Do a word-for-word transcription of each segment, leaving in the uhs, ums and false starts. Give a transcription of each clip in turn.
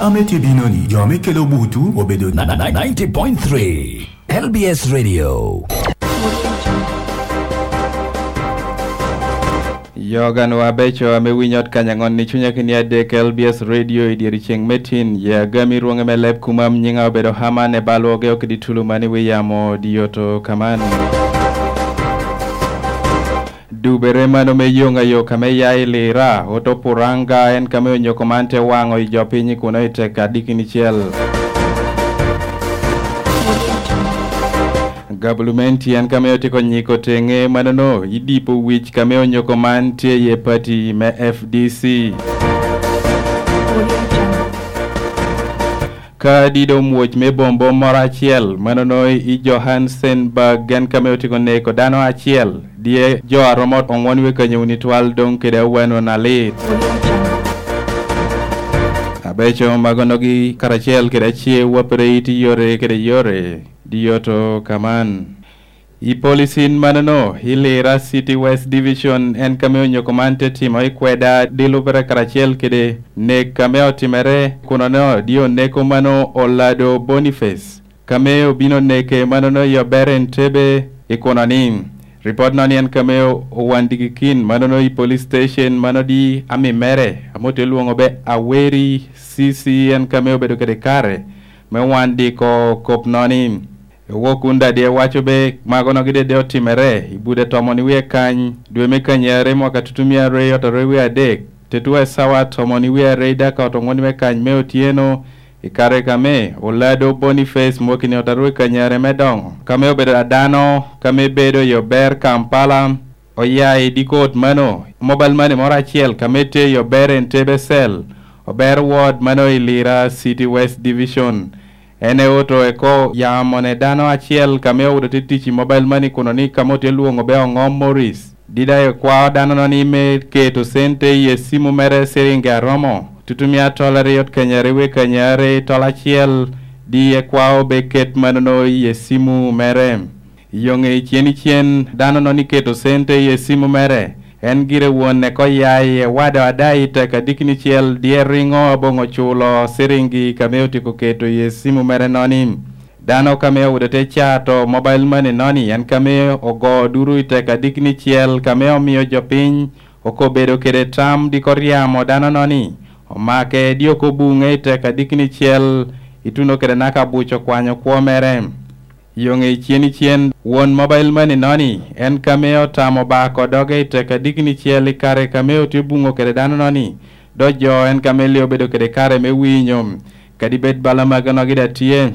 Ame tye bino ni, jo me kelo butu obedo na- na- na- ninety point three L B S Radio. Yoganwa abeco ame winyo ot kany aŋon i cunya kini adek L B S Radio i dyeri ceŋ me tin, ye agami rwoŋe me leb kumam nyiŋa obedo Haman e balwoge okidi tulu man i wi yamo diyoto kaman. Dubere mano me yoŋ ayo kame ya i Lira, oto Puranga, en kame onyoko man te waŋo i jo piny kuno i tek adikini cel. Gabulumenti en kame otiko nyiko teŋe manono i dipo wic kame onyoko man tye iye pati me F D C. Ka dido mwoc me bombo moro acel manono i Johannesburg, en kame otiko neko dano acel, dye jo a romo oŋwen wiye kanyo wuni twal doŋ kede awano na lit. Abeco magonogi karacel kede ace wapere it yore kede yore, diyoto kaman. I policin manono, i Lira City West Division, en kame onyoko man te timo i kweda di lubere karacel kede nek kame otimere kuno-no, di oneko mano Olado Boniface, kame obino neke manono i Obere Entebbe i kuno ni. Ripot no ni en kame owandigi kin manono i police station mano di ami mere, ame ote lwoŋo be Aweri C C, en kame obedo kede kare me wan diko kop no ni. Ewok kun dadi ewaco be magono gide de otimere i bude tomo ni wie kany, dwe me kanyare mwaka tutumia aryo otarwe wie adek, tetua esawa tomo ni wie aryo i daka oto ŋwen me kany me otyeno, i kare kame Olado Boniface mwakini otarwe kanyare me doŋo, kame obedo adano, kame bedo i Ober Kampala, oya i dikot mano, mobile money moro acel kame tye i Ober Entebbe Cell, Ober Ward mano i Lira City West Division. En eoto eko yamo ne dano acel kame owuto te tic i mobile money kuno ni kame otye lwoŋo be oŋo Morris. Dida ekwao dano-no ni me keto cente i esimu mere ciringi aromo, tutumia tol aryo kanyare wi kanyare tol acel, di ekwao be ket manono i esimu mere. Yoŋe icen icen, dano-no ni keto cente i esimu mere, en gire won eko ya i ewado ada i tek adikni cel, dye riŋo aboŋo culo ciringi kame otyeko keto i esimu mere noni. Dano kame owudo te cato mobile money noni, en kame ogo duru i tek adikni cel, kame omio jo piny okobedo kede tam diko ryamo dano noni, omake dyoko buŋe i tek adikni cel, ituno kede naka buc okwanyo kwo mere. Yoŋe icen icen, won mobile money noni, en kame otamo bako doge i tek adikni cel i kare kame otye buŋo kede dano noni, do jo en kame li obedo kede kare me winyo, kadi bed bala magono gide atye.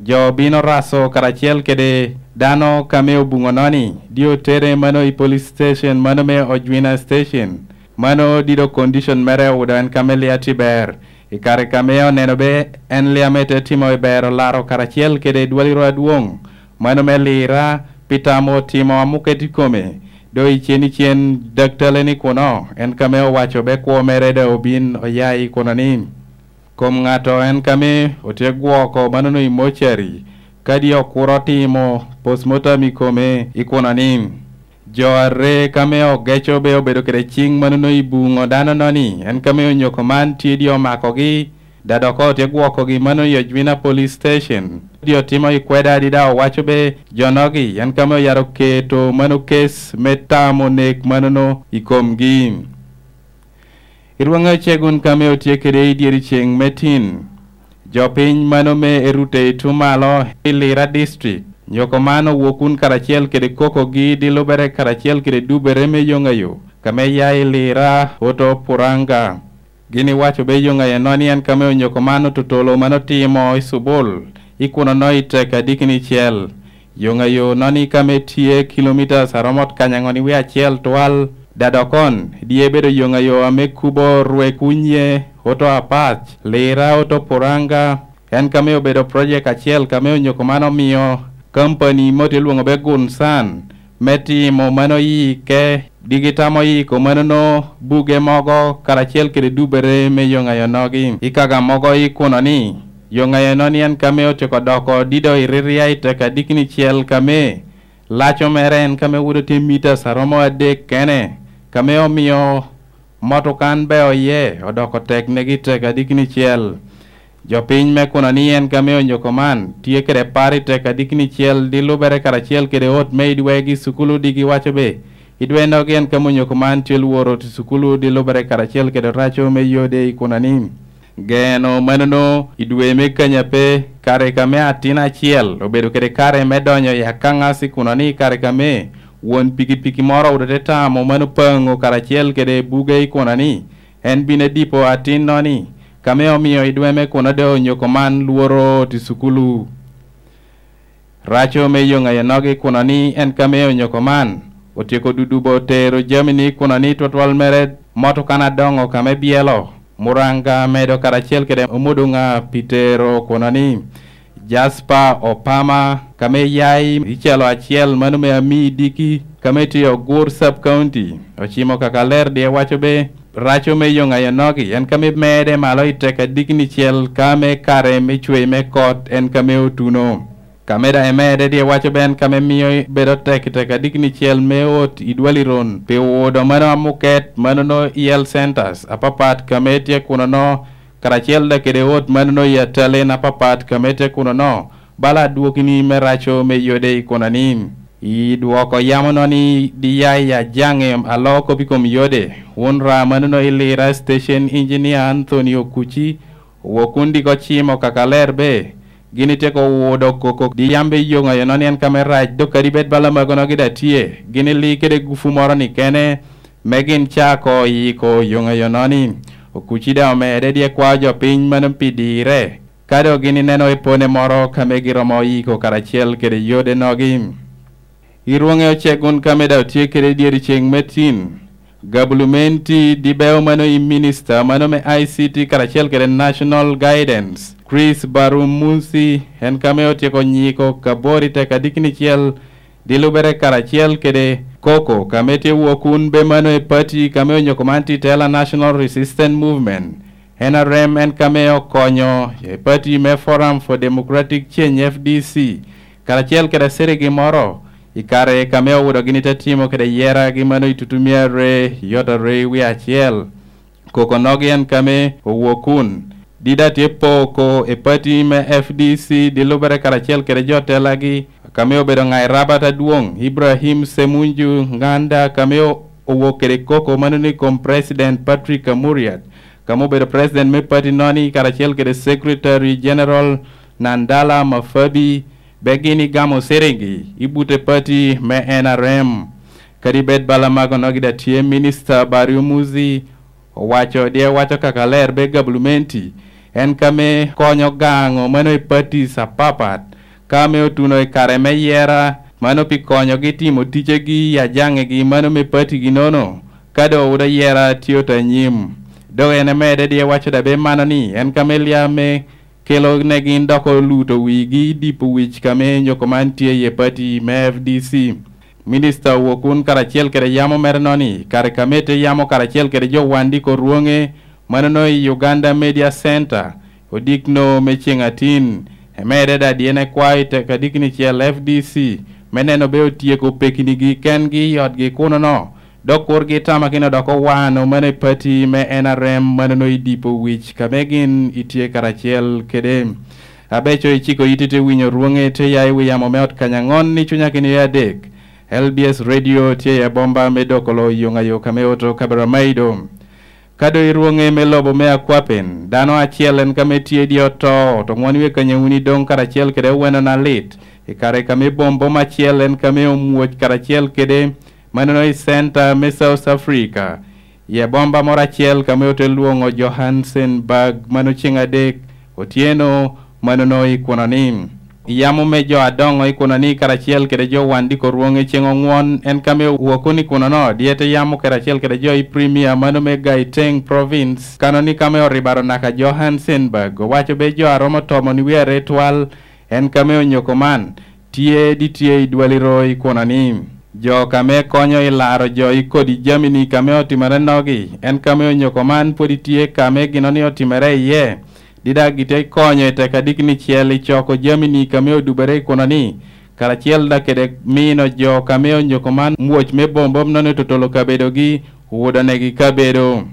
Jo bino raso karacel kede dano kame obuŋo noni, di otere mano i police station mano me Ojwina Station. Mano dido condition mere owudo en kame li atye ber. I kare kame oneno be en li ame te timo i ber olaro karacel kede dwaliro adwoŋ, mano me Lira, pi tamo timo amuket i kome. Do icen icen daktale ni kuno, en kame owaco be kwo mere da obin oya i kuno ni, kom ŋato en kame otye gwoko manono i mocari, kadi okuro timo postmortem i kome i kuno ni. Jo are kame ogeco be obedo kede ciŋ manono i buŋo dano noni, en kame onyoko man tye di omakogi, da dok otye gwokogi mano i Ojwina Police Station. Di otimo i kweda adida owaco be jonogi, en kame oyaro keto mano kes me tamo nek manono i komgi. I rwaŋe ocegun kame otye kede i dyeri ceŋ me tin, jo piny mano me erute i tumalo i Lira District, nyoko man owok kun karacel kede kokogi di lubere karacel kede dubere me yoŋayo, kame ya i Lira oto Puranga. Gin iwaco be yoŋayo noni en kame onyoko man otutolo man otimo i Subul, i kuno no i tek adikini cel. Yoŋayo noni kame tye kilomitas aromo kany aŋon i wie acel twal, dadokon, dye bedo yoŋayo ame kubo rwe kunye, oto apac, Lira, oto Puranga, en kame obedo projek acel kame onyoko man omio kampani mo tye lwoŋo be Gunsan, me timo mano yike, digi tamo yiko manono buge mogo karacel kede dubere me yoŋayo nogi. I kaga mogo i kuno ni, yoŋayo noni en kame otyeko doko dido i riria i tek adikini cel kame laco mere en kame wudo tye mitas aromo adek kene, kame omio motokan be oye odoko tek negi tek adikini cel. Jo piny me kuno ni en kame onyoko man tye kede par i tek adikni cel di lubere karacel kede ot me idwegi cukulu digi waco be idwe nogi en kame onyoko man tye lworo oti cukulu di lubere karacel kede raco me yode i kuno ni. Geno manono i dwe me kanya pe kare kame atin acel obedo kede kare me donyo i akaŋas i kuno ni kare kame won pikipiki moro owoto te tamo mano paŋo karacel kede buge i kuno ni en bino edipo atinno ni kame omio i dwe me kuno doŋ onyoko man lworo oti cukulu. Raco me yoŋ ayonogi kuno ni en kame onyoko man otyeko dudubo tero jami ni kuno ni twatwal mere motoka na doŋo kame byelo muranga medo karacel kede omuduŋa pi tero kuno ni Jasper Opama kame ya i calo acel mano me ami diki kame tye ogur sub county ocimo kaka ler die waco be raco me yoŋ ayonogi en kame mede malo i tek adikni cel kame kare me cwei me kot en kame otuno. Ka me daŋ emede dye waco ben ka me mio bedo tek i tek adikni cel me ot i dwaliron pi wudo mano amuket manono i health centers apapat ka me tye kunono karacel daŋ kede ot manono i atalin apapat ka me tye kunono bala adwokini me raco me yode i kunani. I dwoko yamono ni diya i ajaŋe alo kop i kom yode wun ra manono i lira station engineer Anthony Okuci Owok wun diko cimo kaka ler be, gin ityeko wudo koko di yam be yoŋ ayono ni en ka me rac, dok kadi bed bala magono gin daŋ tye, gin ili kede gufu moro ni kene, me gin cako yiko yoŋ ayono ni. Okuci daŋ omede dye kwao jo piny mano pi dire, ka doŋ gin ineno epone moro ka me giromo yiko karacel kede yode nogi. I rwoŋe ocek wun ka me daŋ otye kede dyeri ceŋ me tin. Gabulumenti di beo mano i minista mano me I C T karacel kede National Guidance, Chris Barumusi, en ka me otyeko nyiko ka bor i tek adikni cel di lubere karacel kede koko ka me tye wok wun be mano i pati ka me onyoko man titela National Resistance Movement. N R M en ka me okonyo i pati me Forum for Democratic Change F D C karacel kede aseregi moro i kare ka me owudo gin ite timo kede yera gi mano i tutumia re yot are i wi acel. Koko nogi en ka me owok kun. Dida tye poko i pati me F D C di lubere karacel kede jo telagi ka me obedo ŋai rabat adwoŋ Ibrahim Semunju Nganda ka me owok kede koko mano ni kom President Patrick Amuriat ka me obedo president me pati noni karacel kede Secretary General Nandala Mafabi be gin igamo ciringi i bute pati me N R M. Kadi bed bala mago nogi da tye minista Barry Omuzi owaco di ewaco kaka ler be gabulumenti en ka me konyo gaŋo mano i patis apapat ka me otuno i kare me yera mano pi konyogi timo ticegi i ajaŋegi mano me patigi nono ka doŋ owoto yera tye ota nyim. Dok en emede di ewaco da be mano ni en ka me lia me kelo ne gin dok oluto wigi i dipo wic ka me nyoko man tye iye pati me F D C. Minista owok kun karacel kede yamo mere noni kare ka me te yamo karacel kede jo wandiko rwonge manono i Uganda Media Center odikno me ceŋ atin. Emede da dyene kwa i tek adikni cel F D C me neno be otyeko pekinigi kengi i otgi kunono. Dok kur gitamakino dok owano mano i pati me N R M manono i dipo wic ka me gin itye karacel kede. Abeco iciko iti te winyo rwonge te ya i wi yamo me ot kanyaŋon ni cunya kini adek. L B S Radio tye i abomba me doko lo yoŋ ayo ka me oto Kaberamaido. Ka do i rwonge me lobo me akwapen, dano acel en ka me tye i dye oto, oto ŋwon wie kanyawuni doŋ karacel kede oweno na lit. I kare ka me bombom acel en ka me omwoc karacel kede manono i center me South Africa, i abomba moro acel ka me ote lwoŋo Johannesburg mano ceŋ adek otyeno manono i kuno ni. I yamo me jo adoŋo i kuno ni karacel kede jo wan diko rwoŋe ceŋ oŋwon en ka me woko ni kuno no dyete yamo karacel kede jo i Premier mano me Gauteng Province kano ni ka me oribaro naka Johannesburg owaco be jo aromo tomo ni wie are twal en ka me onyoko man tye di tye i dwaliro i kuno ni. Jo ka me konyo i laro jo i kodi jami ni ka me otimere nogi en ka me onyoko man pwod itye ka me gino ni otimere iye. Dida gite konyo i tek adikni cel i coko jami ni ka me odubere i kuno ni karacel da kede mino jo ka me onyoko man mwoc me bombom nono totolo kabedogi owodo negi kabedo.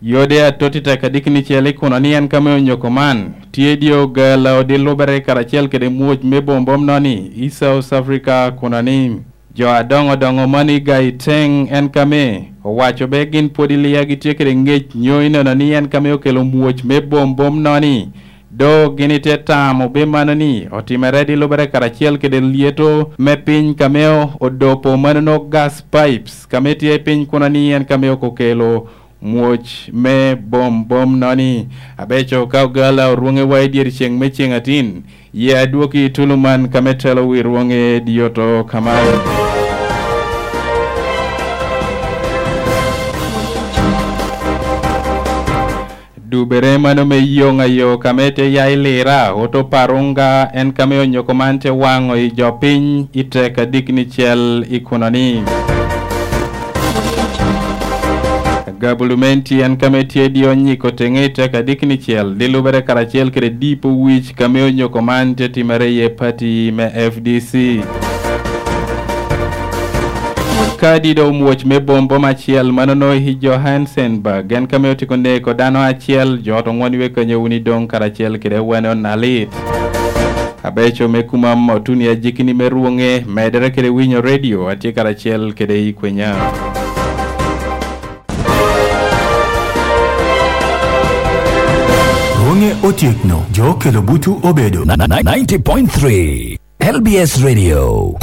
Yode atot i tek adikni cel i kuno ni en kame onyoko man, tye dye ogala odi lubere karacel kede mwoc me bombom noni i South Africa kuno ni. Jo adoŋo doŋo mani Gaiteng en kame owaco be gin pwod ilia gitye kede ŋec nyo i neno ni en kame okelo mwoc me bombom noni. Do gin ite tamo be mano ni otimere di lubere karacel kede lyeto me piny kame odopo mano no gas pipes kame tye piny kuno ni en kame okokelo mwoc me bombom noni. Abeco ka ogala orwoŋewa i dyeri ceŋ me ceŋ atin, ye adwoki i tulu man kame telo wi rwoŋe dyoto kaman. Dubere mano me yoŋ ayo kame te ya i lira, oto parunga en kame onyoko man te waŋo i jo piny i tek adikni cel i kunoni. Gabulumenti en kame tye di onyiko teŋe i tek adikni cel, di lubere karacel kede dipo wic kame onyoko man te timere ye pati me F D C. Kadi do omwoc me bombom acel manono i Johannesburg, en kame otiko neko dano acel, jo ot oŋwon iwe kanyo wuni doŋ karacel kede wene onalit. Abeco me kumam otuni ajikini me rwoŋe, medere kede winyo redio, atye karacel kede i kwenya. Rwoŋe otyekno, jo okelo butu obedo na- na- ninety point three L B S Radio.